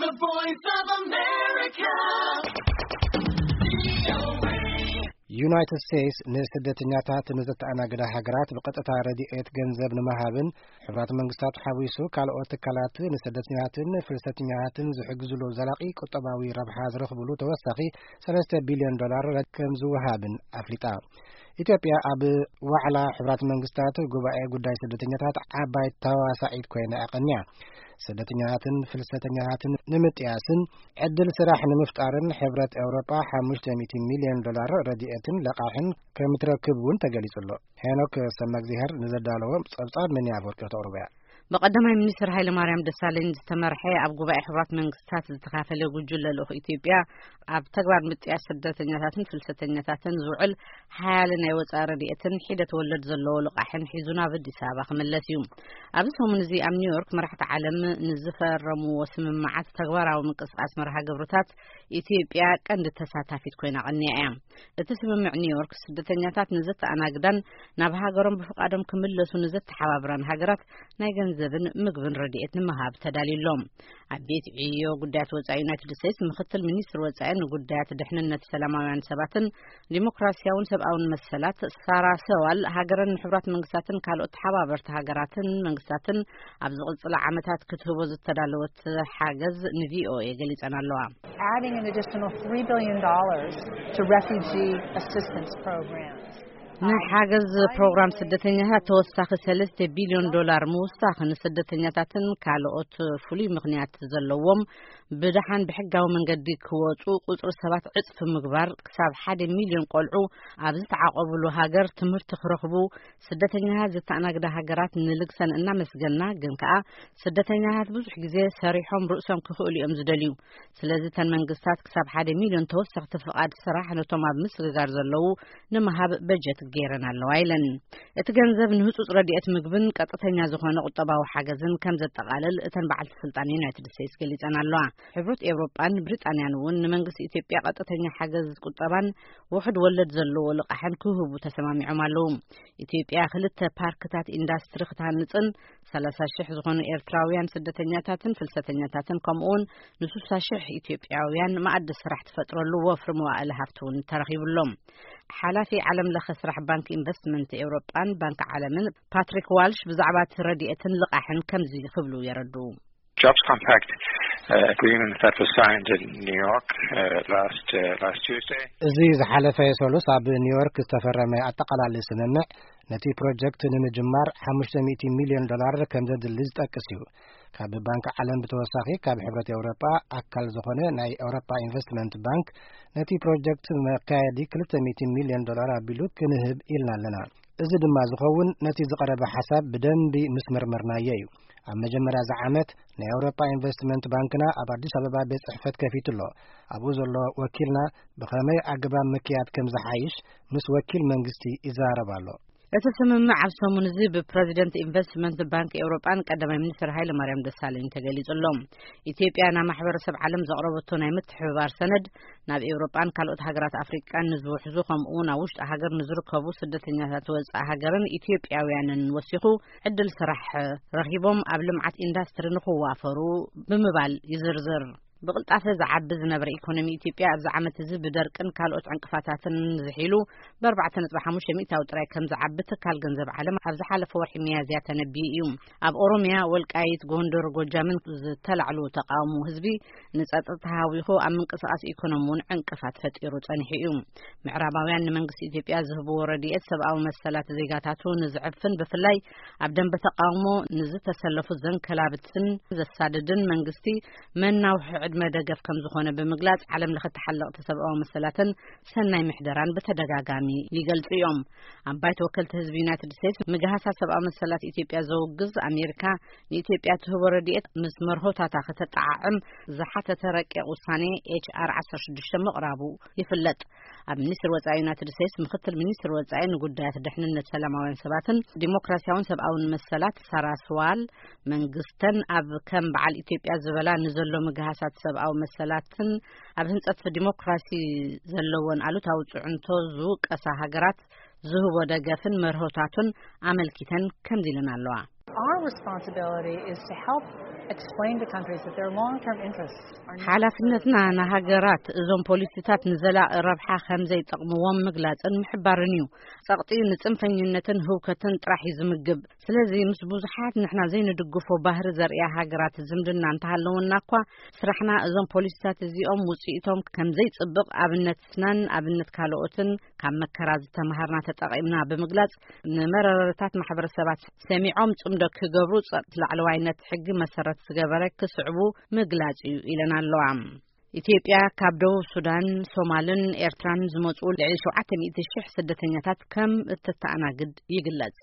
The Voice of America. ዩናይትድ ስቴትስ ንስደተኛታት ንዘተኣናግዳ ሃገራት ብቐጥታ ረድኤት ገንዘብ ንምሃብን፣ ሕብራት መንግስታት ሓዊሱ ካልኦት ትካላት ንስደተኛታትን ፍልሰተኛታትን ዝሕግዝሉ ዘላቒ ቁጠባዊ ረብሓ ዝረኽብሉ ተወሳኺ ሰለስተ ቢልዮን ዶላር ከም ዝወሃብን ኣፍሊጣ። ኢትዮጵያ ኣብ ዋዕላ ሕብራት መንግስታት ጉባኤ ጉዳይ ስደተኛታት ዓባይ ተዋሳኢት ኮይና ኣቐንያ። ስደተኛታትን ፍልሰተኛታትን ንምጥያስን ዕድል ስራሕ ንምፍጣርን ሕብረት ኤውሮጳ ሓሙሽተ ሚእቲ ሚልዮን ዶላር ረድኤትን ለቓሕን ከም ትረክብ እውን ተገሊጹ ኣሎ። ሄኖክ ሰመግዚሄር ንዘዳለዎ ጸብጻብ መን ኣፈወርቂ ተቕርቦ እያ። ብቀዳማይ ሚኒስትር ሃይለማርያም ደሳለኝ ዝተመርሐ ኣብ ጉባኤ ሕብራት መንግስታት ዝተኻፈለ ጉጅለ ልኡኽ ኢትዮጵያ ኣብ ተግባር ምጥያስ ስደተኛታትን ፍልሰተኛታትን ዝውዕል ሓያለ ናይ ወጻኢ ረድኤትን ሒደት ወለድ ዘለዎ ልቓሕን ሒዙ ናብ ኣዲስ ኣበባ ክምለስ እዩ። ኣብዚ ሰሙን እዚ ኣብ ኒውዮርክ መራሕቲ ዓለም ንዝፈረምዎ ስምምዓት ተግባራዊ ምንቅስቃስ መርሃ ግብርታት ኢትዮጵያ ቀንዲ ተሳታፊት ኮይና ቀንያ እያ። እቲ ስምምዕ ኒውዮርክ ስደተኛታት ንዘተኣናግዳን ናብ ሃገሮም ብፍቓዶም ክምለሱ ንዘተሓባብራን ሃገራት ናይ ገንዘብን ምግብን ረድኤት ንምሃብ ተዳልዩ ኣሎ። ኣብ ቤት ዕዮ ጉዳያት ወጻኢ ዩናይትድ ስቴትስ ምክትል ሚኒስትር ወጻኢ ንጉዳያት ድሕንነት ሰላማውያን ሰባትን ዲሞክራሲያውን ሰብኣውን መሰላት ሳራ ሰዋል፣ ሃገረን ንሕቡራት መንግስታትን ካልኦት ተሓባበርቲ ሃገራትን መንግስታትን ኣብ ዝቕጽላ ዓመታት ክትህቦ ዝተዳለወት ሓገዝ ንቪኦኤ ገሊጸን ኣለዋ። Adding an additional three billion dollars to refugee assistance programs. ንሓገዝ ፕሮግራም ስደተኛታት ተወሳኺ ሰለስተ ቢልዮን ዶላር ምውሳኽ፣ ንስደተኛታትን ካልኦት ፍሉይ ምኽንያት ዘለዎም ብደሓን ብሕጋዊ መንገዲ ክወጹ ቁጽሪ ሰባት ዕጽፊ ምግባር፣ ክሳብ ሓደ ሚልዮን ቆልዑ ኣብ ዝተዓቆብሉ ሃገር ትምህርቲ ክረኽቡ፣ ስደተኛታት ዝተኣናግዳ ሃገራት ንልግሰን እናመስገና፣ ግን ከኣ ስደተኛታት ብዙሕ ግዜ ሰሪሖም ርእሶም ክኽእሉ እዮም ዝደልዩ። ስለዚ እተን መንግስታት ክሳብ ሓደ ሚልዮን ተወሰኽቲ ፍቓድ ስራሕ ነቶም ኣብ ምስግጋር ዘለዉ ንምሃብ በጀት ገይረን ኣለዋ ኢለን። እቲ ገንዘብ ንህጹጽ ረድኤት ምግብን ቀጥተኛ ዝኾነ ቁጠባዊ ሓገዝን ከም ዘጠቓልል እተን በዓልቲ ስልጣን ዩናይትድ ስቴትስ ገሊጸን ኣለዋ። ሕብረት ኤውሮጳን ብሪጣንያን እውን ንመንግስቲ ኢትዮጵያ ቀጥተኛ ሓገዝ ቁጠባን ውሑድ ወለድ ዘለዎ ልቓሕን ክህቡ ተሰማሚዖም ኣለዉ። ኢትዮጵያ ክልተ ፓርክታት ኢንዳስትሪ ክትሃንጽን ሰላሳ ሽሕ ዝኾኑ ኤርትራውያን ስደተኛታትን ፍልሰተኛታትን ከምኡውን ንስሳ ሽሕ ኢትዮጵያውያን መኣዲ ስራሕ ትፈጥረሉ ወፍሪ መዋእለ ሃፍቲ እውን ተረኺቡሎም። ሓላፊ ዓለም ለኸ ስራሕ ባንክ ኢንቨስትመንት ኤውሮጳን ባንክ ዓለምን ፓትሪክ ዋልሽ ብዛዕባ እቲ ረድኤትን ልቓሕን ከምዚ ክብሉ የረድኡ። Jobs Compact uh, agreement that was signed in New York uh, last uh, last Tuesday. እዚ ዝሓለፈ ሰሉስ ኣብ ኒውዮርክ ዝተፈረመ ኣጠቓላሊ ስምምዕ ነቲ ፕሮጀክት ንምጅማር ሓሙሽተ ሚእቲ ሚልዮን ዶላር ከም ዘድሊ ዝጠቅስ እዩ። ካብ ባንክ ዓለም ብተወሳኺ ካብ ሕብረት ኤውሮጳ ኣካል ዝኾነ ናይ ኤውሮጳ ኢንቨስትመንት ባንክ ነቲ ፕሮጀክት መካየዲ ክልተ ሚእቲ ሚልዮን ዶላር ኣቢሉ ክንህብ ኢልና ኣለና። እዚ ድማ ዝኸውን ነቲ ዝቐረበ ሓሳብ ብደንቢ ምስ መርመርናዮ እዩ። ኣብ መጀመርያ እዚ ዓመት ናይ ኤውሮጳ ኢንቨስትመንት ባንክና ኣብ ኣዲስ ኣበባ ቤት ጽሕፈት ከፊቱ ኣሎ። ኣብኡ ዘሎ ወኪልና ብኸመይ ኣገባብ ምክያድ ከም ዝሓይሽ ምስ ወኪል መንግስቲ ይዛረብ ኣሎ። እቲ ስምምዕ ኣብ ሰሙን እዚ ብፕረዚደንት ኢንቨስትመንት ባንክ ኤውሮጳን ቀዳማይ ሚኒስትር ሃይለ ማርያም ደሳለኝ ተገሊጹ ኣሎ። ኢትዮጵያ ናብ ማሕበረሰብ ዓለም ዘቕረበቶ ናይ ምትሕብባር ሰነድ ናብ ኤውሮጳን ካልኦት ሃገራት ኣፍሪቃን ንዝውሕዙ ከምኡ እውን ኣብ ውሽጢ ሃገር ንዝርከቡ ስደተኛታት ወጻኢ ሃገርን ኢትዮጵያውያንን ወሲኹ ዕድል ስራሕ ረኺቦም ኣብ ልምዓት ኢንዳስትሪ ንኽዋፈሩ ብምባል ይዝርዝር። ብቕልጣፈ ዝዓቢ ዝነበረ ኢኮኖሚ ኢትዮጵያ ኣብዚ ዓመት እዚ ብደርቅን ካልኦት ዕንቅፋታትን ዝሒሉ ብኣርባዕተ ነጥቢ ሓሙሽተ ሚእታዊ ጥራይ ከም ዝዓቢ ትካል ገንዘብ ዓለም ኣብ ዝሓለፈ ወርሒ ሚያዝያ ተነቢዩ እዩ። ኣብ ኦሮሚያ፣ ወልቃይት፣ ጎንደር፣ ጎጃምን ዝተላዕሉ ተቃውሞ ህዝቢ ንጸጥታ ሃዊኹ ኣብ ምንቅስቃስ ኢኮኖሚ እውን ዕንቅፋት ፈጢሩ ጸኒሑ እዩ። ምዕራባውያን ንመንግስቲ ኢትዮጵያ ዝህብዎ ረድኤት ሰብኣዊ መሰላት ዜጋታቱ ንዝዕፍን ብፍላይ ኣብ ደንበ ተቃውሞ ንዝተሰለፉ ዘንከላብትን ዘሳድድን መንግስቲ መናውሒ ዕድመ ደገፍ ከም ዝኾነ ብምግላጽ ዓለም ለኸ ተሓለቕቲ ሰብኣዊ መሰላትን ሰናይ ምሕደራን ብተደጋጋሚ ይገልጹ እዮም። ኣብ ባይቶ ወከልቲ ህዝቢ ዩናይትድ ስቴትስ ምግሃሳት ሰብኣዊ መሰላት ኢትዮጵያ ዘውግዝ ኣሜሪካ ንኢትዮጵያ ትህቦ ረድኤት ምስ መርሆታታ ከተጠዓዕም ዝሓተተ ረቂቕ ውሳኔ ኤች ኣር ዓሰርተ ሽዱሽተ ምቕራቡ ይፍለጥ። ኣብ ሚኒስትር ወጻኢ ዩናይትድ ስቴትስ ምክትል ሚኒስትር ወጻኢ ንጉዳያት ድሕንነት ሰላማውያን ሰባትን ዲሞክራሲያውን ሰብኣውን መሰላት ሳራ ስዋል መንግስተን ኣብ ከም በዓል ኢትዮጵያ ዝበላ ንዘሎ ምግሃሳት ሰብኣዊ መሰላትን ኣብ ህንጸት ዲሞክራሲ ዘለወን ኣሉታዊ ጽዕንቶ ዝውቀሳ ሃገራት ዝህቦ ደገፍን መርሆታቱን ኣመልኪተን ከምዚ ኢለን ኣለዋ። Our responsibility is to help Explain to countries that their long-term interests are not ሓላፍነትና ንሃገራት እዞም ፖሊሲታት ንዘላቒ ረብሓ ከም ዘይጠቕምዎም ምግላጽን ምሕባርን እዩ። ጸቕጢ ንጽንፈኝነትን ህውከትን ጥራሕ እዩ ዝምግብ። ስለዚ ምስ ብዙሓት ንሕና ዘይንድግፎ ባህሪ ዘርእያ ሃገራት ዝምድና እንተሃለውና እኳ፣ ስራሕና እዞም ፖሊሲታት እዚኦም ውጽኢቶም ከም ዘይጽብቕ ኣብነትናን ኣብነት ካልኦትን ካብ መከራ ዝተምሃርና ተጠቒምና ብምግላጽ፣ ንመረረታት ማሕበረሰባት ሰሚዖም ጽምዶ ክገብሩ ጸቕቲ ላዕለዋይነት ሕጊ መሰረት ዝገበረ ክስዕቡ ምግላጽ እዩ ኢለን ኣለዋ። ኢትዮጵያ ካብ ደቡብ ሱዳን፣ ሶማልን ኤርትራን ዝመጹ ልዕሊ ሸውዓተ ሚእቲ ሽሕ ስደተኛታት ከም እተተኣናግድ ይግለጽ።